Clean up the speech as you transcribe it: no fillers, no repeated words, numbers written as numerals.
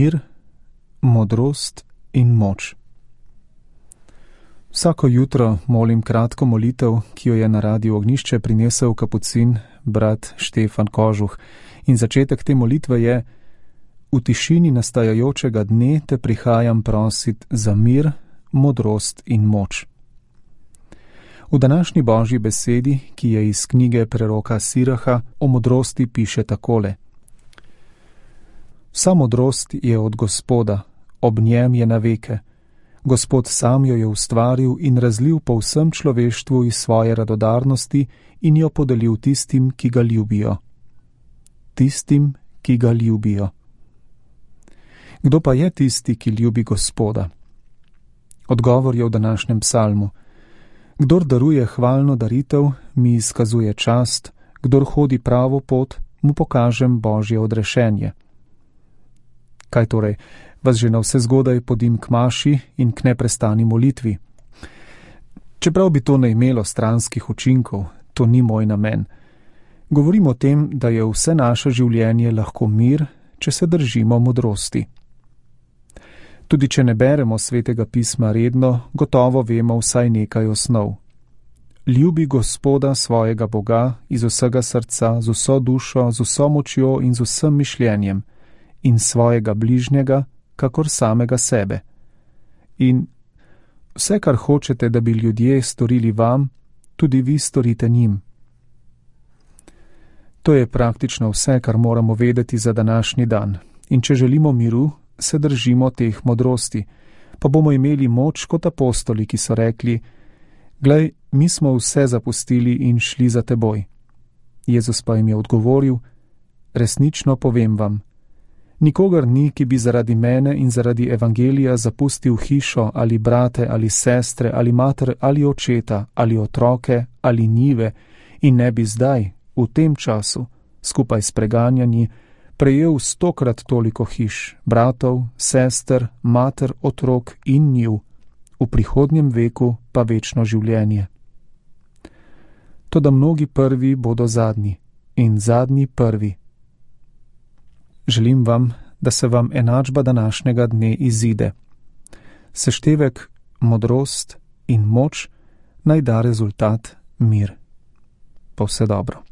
mir, modrost in moč. Vsako jutro molim kratko molitev, ki jo je na Radiu Ognjišče prinesel kapucin brat Štefan Kožuh. In začetek te molitve je: v tišini nastajajočega dne te prihajam prosit za mir, modrost in moč. V današnji Božji besedi, ki je iz knjige preroka Siraha, o modrosti piše takole: Vsa modrost je od Gospoda, ob njem je na veke. Gospod sam jo je ustvaril in razlil po vsem človeštvu iz svoje radodarnosti in jo podelil tistim, ki ga ljubijo. Tistim, ki ga ljubijo. Kdo pa je tisti, ki ljubi Gospoda? Odgovor je v današnjem psalmu. Kdor daruje hvalno daritev, mi izkazuje čast, kdor hodi pravo pot, mu pokažem Božje odrešenje. Kaj torej, vas že na vse zgodaj podim k maši in k neprestani molitvi? Čeprav bi to ne imelo stranskih učinkov, to ni moj namen. Govorim o tem, da je vse naše življenje lahko mir, če se držimo modrosti. Tudi če ne beremo Svetega pisma redno, gotovo vemo vsaj nekaj osnov. Ljubi Gospoda svojega Boga iz vsega srca, z vso dušo, z vso močjo in z vsem mišljenjem, in svojega bližnjega, kakor samega sebe. In vse, kar hočete, da bi ljudje storili vam, tudi vi storite njim. To je praktično vse, kar moramo vedeti za današnji dan. In če želimo miru, se držimo teh modrosti, pa bomo imeli moč kot apostoli, ki so rekli: Glej, mi smo vse zapustili in šli za teboj. Jezus pa jim je odgovoril: Resnično povem vam, nikogar ni, ki bi zaradi mene in zaradi evangelija zapustil hišo ali brate ali sestre ali mater ali očeta ali otroke ali njive in ne bi zdaj, v tem času, skupaj s preganjanji, prejel 100-krat toliko hiš, bratov, sester, mater, otrok in njiv, v prihodnjem veku pa večno življenje. Toda mnogi prvi bodo zadnji in zadnji prvi. Želim vam, da se vam enačba današnjega dne izide. Seštevek modrost in moč naj da rezultat mir. Pa vse dobro.